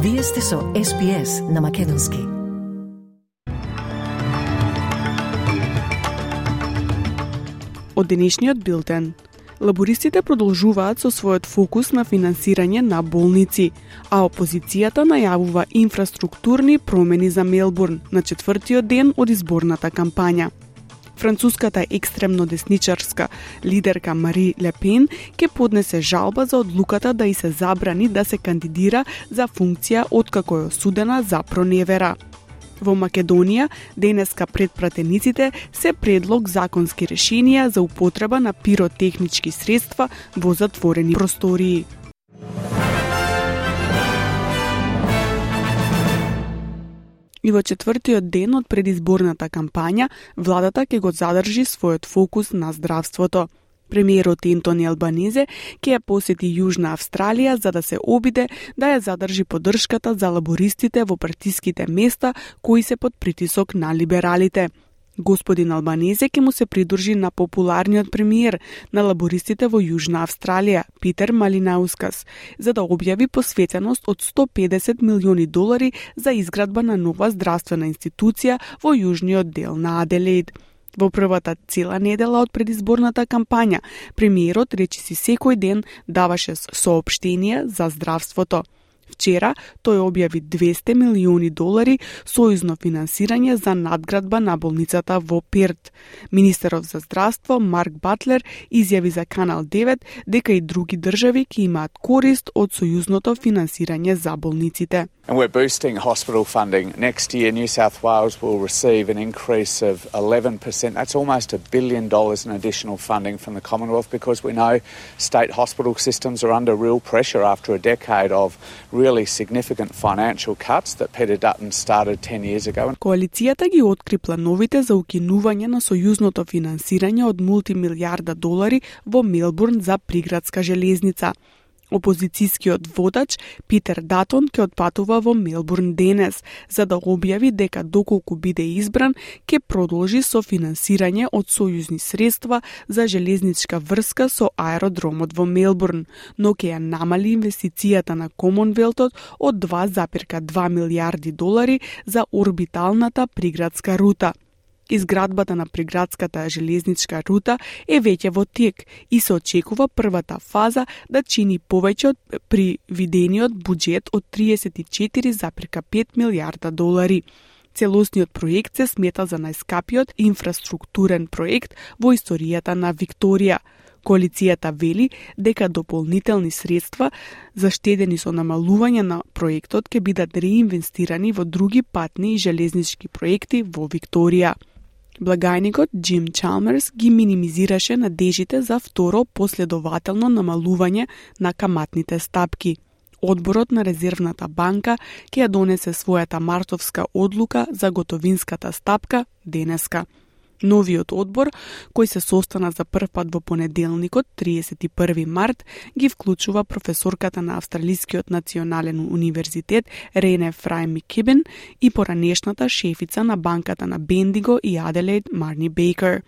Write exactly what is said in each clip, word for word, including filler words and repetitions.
Вие сте со Ес Би Ес на Македонски. Од денешниот билтен. Лабористите продолжуваат со својот фокус на финансирање на болници, а опозицијата најавува инфраструктурни промени за Мелбурн на четвртиот ден од изборната кампања. Француската екстремно десничарска лидерка Мари Ле Пен ќе поднесе жалба за одлуката да и се забрани да се кандидира за функција откако е осудена за проневера. Во Македонија, денеска пред пратениците се предлог законски решенија за употреба на пиротехнички средства во затворени простории. И во четвртиот ден од предизборната кампања, владата ќе го задржи својот фокус на здравството. Премиерот Ентони Албанезе ќе ја посети Јужна Австралија за да се обиде да ја задржи поддршката за лабористите во партиските места кои се под притисок на либералите. Господин Албанезе ќе му се придружи на популарниот премиер на лабористите во Јужна Австралија, Питер Малинаускас, за да објави посветеност од сто педесет милиони долари за изградба на нова здравствена институција во јужниот дел на Аделаид. Во првата цела недела од предизборната кампања, премиерот речиси секој ден даваше соопштенија за здравството. Вчера тој објави двесте милиони долари сојузно финансирање за надградба на болницата во Перт. Министерот за здравство Марк Батлер изјави за Канал девет дека и други држави ќе имаат корист од сојузното финансирање за болниците. And we're boosting hospital funding. Next year, New South Wales will receive an increase of eleven percent. That's almost a billion dollars in additional funding from the Commonwealth because we know state hospital systems are under real pressure after a decade of really significant financial cuts that Peter Dutton started ten years ago. Коалицијата ги откри плановите за укинување на сојузното финансирање од мултимилијарда долари во Мелбурн за приградска железница. Опозицијскиот водач Питер Датон ќе отпатува во Мелбурн денес, за да објави дека доколку биде избран, ќе продолжи со финансирање од сојузни средства за железничка врска со аеродромот во Мелбурн, но ќе ја намали инвестицијата на Комонвелтот од два запирка два милијарди долари за орбиталната приградска рута. Изградбата на приградската железничка рута е веќе во тек и се очекува првата фаза да чини повеќе од привидениот буџет од триесет и четири запирка пет милијарда долари. Целосниот проект се смета за најскапиот инфраструктурен проект во историјата на Викторија. Коалицијата вели дека дополнителни средства заштедени со намалување на проектот ќе бидат реинвестирани во други патни и железнички проекти во Викторија. Благајникот Джим Чалмерс ги минимизираше надежите за второ последователно намалување на каматните стапки. Одборот на Резервната банка ќе ја донесе својата мартовска одлука за готовинската стапка денеска. Новиот одбор, кој се состана за прв пат во понеделникот, триесет и први март, ги вклучува професорката на Австралискиот национален универзитет Рене Фрај Микибен и поранешната шефица на банката на Бендиго и Аделаид Марни Бейкер.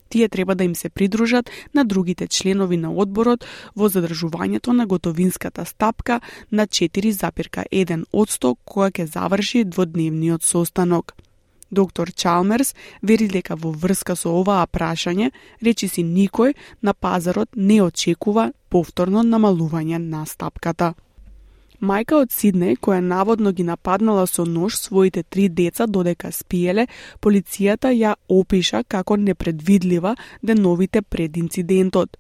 Тие треба да им се придружат на другите членови на одборот во задржувањето на готовинската стапка на четири запирка еден одсто кога ќе заврши дводневниот состанок. Доктор Чалмерс вери дека во врска со оваа прашање, речиси никој на пазарот не очекува повторно намалување на стапката. Мајка од Сиднеј, која наводно ги нападнала со нож своите три деца додека спиеле, полицијата ја опиша како непредвидлива деновите пред инцидентот.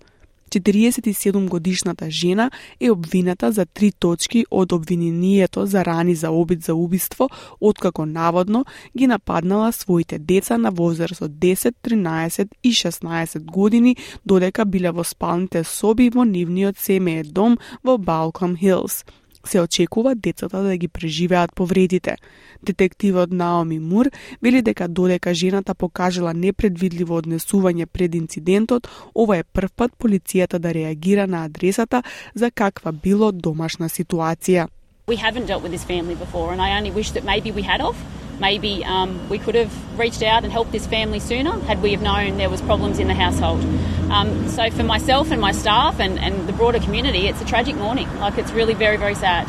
четириесет и седум годишната жена е обвината за три точки од обвинението за рани за обид за убиство, откако наводно ги нападнала своите деца на возраст од десет, тринаесет и шеснаесет години, додека биле во спалните соби во нивниот семеен дом во Балком Хилс. Се очекува децата да ги преживеат повредите. Детективот Наоми Мур вели дека додека жената покажала непредвидливо однесување пред инцидентот, ова е прв пат полицијата да реагира на адресата за каква било домашна ситуација. We haven't dealt with this family before, and I only wish that maybe we had of. Maybe um, we could have reached out and helped this family sooner had we have known there was problems in the household. Um, so for myself and my staff and, and the broader community, it's a tragic morning. Like, it's really very, very sad.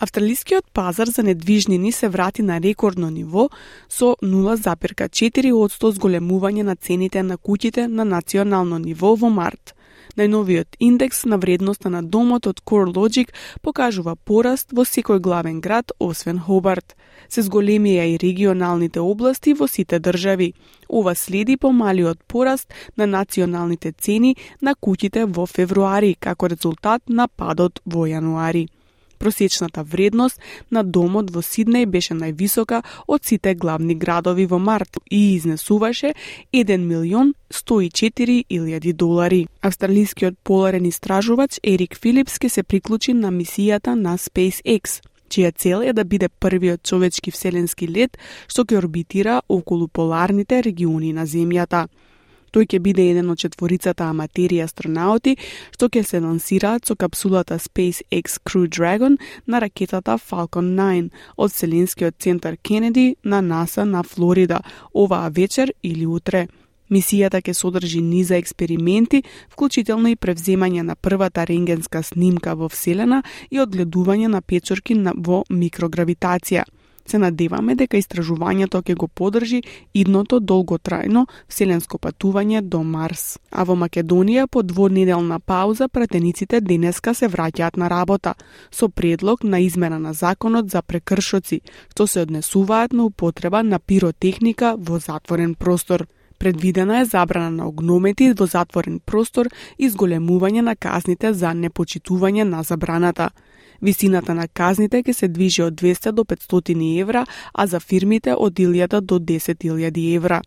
Австралискиот пазар за недвижнини се врати на рекордно ниво со нула запирка четири одсто зголемување на цените на куќите на национално ниво во март. Најновиот индекс на вредноста на домот од CoreLogic покажува пораст во секој главен град, освен Хобарт. Се зголемија и регионалните области во сите држави. Ова следи помалиот пораст на националните цени на куќите во февруари, како резултат на падот во јануари. Просечната вредност на домот во Сиднеј беше највисока од сите главни градови во март и изнесуваше еден милион сто и четири илјади долари. Австралискиот поларен истражувач Ерик Филипс ке се приклучи на мисијата на SpaceX, чија цел е да биде првиот човечки вселенски лет што ќе орбитира околу поларните региони на Земјата. Тој ќе биде еден од четворицата аматери астронаути што ќе се лансираат со капсулата SpaceX Crew Dragon на ракетата Falcon nine од Вселенскиот центар Кенеди на НАСА на Флорида оваа вечер или утре. Мисијата ќе содржи низа експерименти, вклучително и превземање на првата рентгенска снимка во Вселена и одгледување на печорки во микрогравитација. Се надеваме дека истражувањето ќе го поддржи идното долготрајно вселенско патување до Марс. А во Македонија по двонеделна пауза пратениците денеска се враќаат на работа со предлог на измена на законот за прекршоци, што се однесуваат на употреба на пиротехника во затворен простор. Предвидена е забрана на огномети во затворен простор и зголемување на казните за непочитување на забраната. Висината на казните ќе се движи од двесте до петстотини евра, а за фирмите од илјада до десет илјади евра.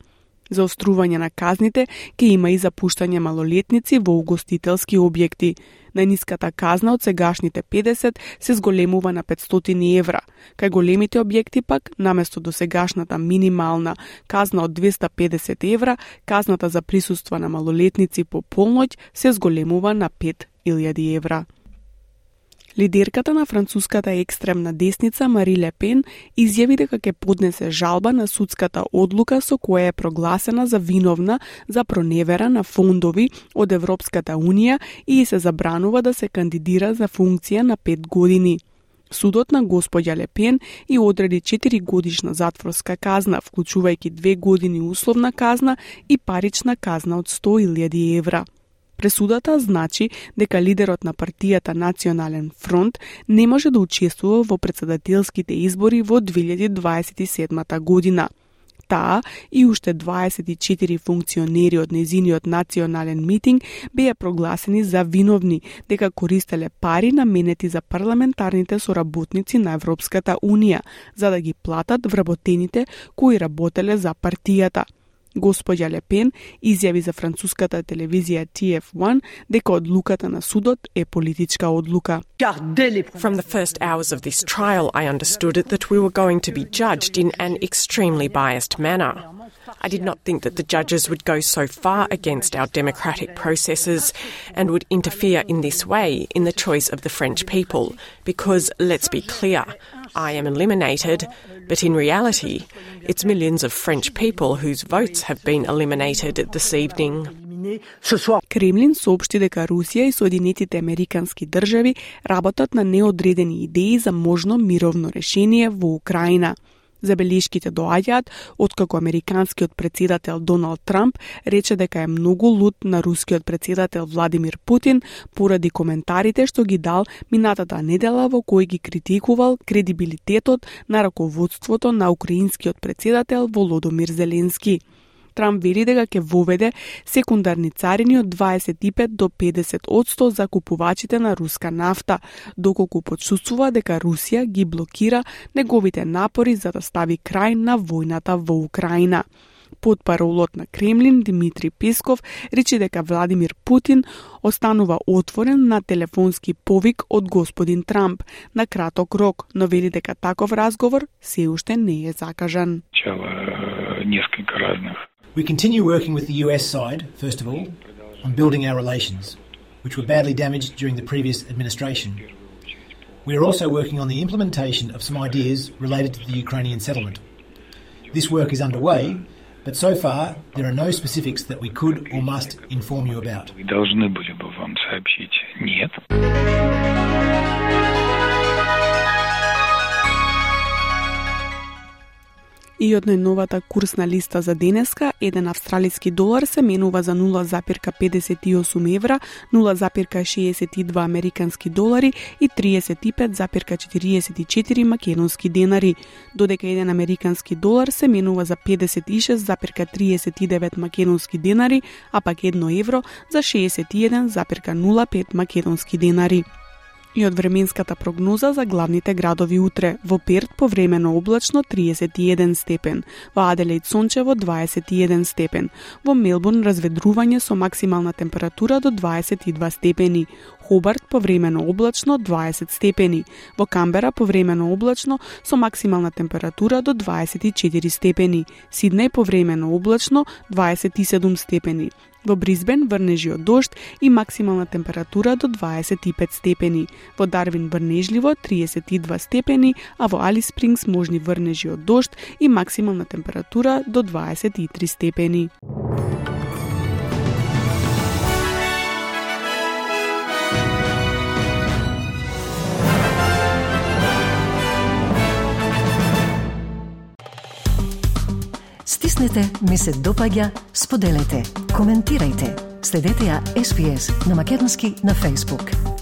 За острување на казните ќе има и запуштање малолетници во угостителски објекти. Најниската казна од сегашните педесет се зголемува на петстотини евра. Кај големите објекти пак, наместо до сегашната минимална казна од двесте и педесет евра, казната за присуство на малолетници по полноќ се зголемува на пет илјади евра. Лидерката на француската екстремна десница Мари Ле Пен изјави дека ќе поднесе жалба на судската одлука со која е прогласена за виновна за проневера на фондови од Европската Унија и се забранува да се кандидира за функција на пет години. Судот на господја Ле Пен и одреди четири годишна затворска казна, вклучувајќи две години условна казна и парична казна од сто илјади евра. Пресудата значи дека лидерот на партијата Национален фронт не може да учествува во претседателските избори во две илјади дваесет и седма година. Таа и уште дваесет и четири функционери од незиниот национален митинг беа прогласени за виновни дека користеле пари наменети за парламентарните соработници на Европската Унија за да ги платат вработените кои работеле за партијата. Господја Ле Пен изјави за француската телевизија T F one дека одлуката на судот е политичка одлука. From the first hours of this trial, I understood that we were going to be judged in an extremely biased manner. I did not think that the judges would go so far against our democratic processes and would interfere in this way in the choice of the French people, because, let's be clear, I am eliminated, but in reality, it's millions of French people whose votes have been eliminated this evening. Кремлин соопшти дека Русија и Соединетите Американски држави работат на неодредени идеи за можно мировно решение во Украина. Забелешките доаѓаат откако американскиот претседател Доналд Трамп рече дека е многу лут на рускиот претседател Владимир Путин поради коментарите што ги дал минатата недела во кои ги критикувал кредибилитетот на раководството на украинскиот претседател Володомир Зеленски. Трамп вели дека ќе воведе секундарни царини од дваесет и пет до педесет одсто за купувачите на руска нафта, доколку почувствува дека Русија ги блокира неговите напори за да стави крај на војната во Украина. Потпаролот на Кремлин Димитри Песков рече дека Владимир Путин останува отворен на телефонски повик од господин Трамп на краток рок, но вели дека таков разговор се уште не е закажан. Несколько разных. We continue working with the U S side, first of all, on building our relations, which were badly damaged during the previous administration. We are also working on the implementation of some ideas related to the Ukrainian settlement. This work is underway, but so far there are no specifics that we could or must inform you about. Мы должны были бы вам сообщить. Нет. И од најновата курсна листа за денеска, еден австралиски долар се менува за нула запирка педесет и осум евра, нула запирка шеесет и два американски долари и триесет и пет запирка четириесет и четири македонски денари, додека еден американски долар се менува за педесет и шест запирка триесет и девет македонски денари, а пак едно евро за шеесет и еден запирка нула пет македонски денари. И од временската прогноза за главните градови утре: во Перт повремено облачно триесет и еден степен, во Аделаид сончево дваесет и еден степен, во Мелбурн разведрување со максимална температура до дваесет и два степени, Хобарт повремено облачно дваесет степени, во Камбера повремено облачно со максимална температура до дваесет и четири степени, Сиднеј повремено облачно дваесет и седум степени, во Брисбен врнежи од дожд и максимална температура до дваесет и пет степени, во Дарвин врнежливо триесет и два степени, а во Алис Спрингс можни врнежи од дожд и максимална температура до дваесет и три степени. Стиснете, ми се допаѓа, споделете, коментирајте. Следете ја Ес Би Ес на македонски на Facebook.